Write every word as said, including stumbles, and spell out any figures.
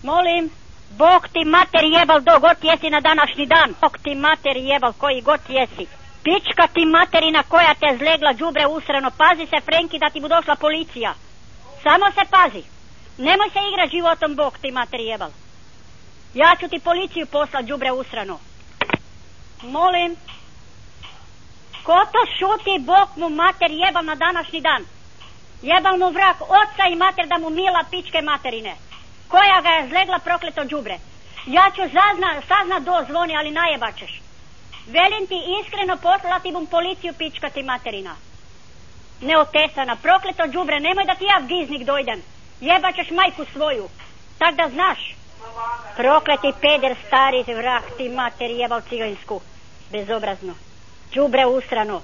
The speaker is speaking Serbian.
Molim, Bog ti mater jebal do god jesi na današnji dan. Bog ti mater jebal koji god jesi. Pička ti materina koja te zlegla đubre usrano. Pazi se, Frenki, da ti bu došla policija. Samo se pazi. Nemoj se igra životom, Bog ti mater jebal. Ja ću ti policiju poslat, đubre usrano. Molim. Ko to šuti, Bog mu mater jebal na današnji dan. Jebal mu vrak oca i mater da mu mila pičke materine. Koja ga je zlegla prokleto đubre. Ja ću zazna, sazna do zvoni, ali najebačeš. Velim ti iskreno, poslati bom policiju, pička ti materina. Neotesana, prokleto đubre, nemoj da ti ja giznik dojdem. Jebačeš majku svoju. Tak da znaš. Prokleti peder stari vrak ti mater jebal cigansku. Bezobrazno. Đubre usrano.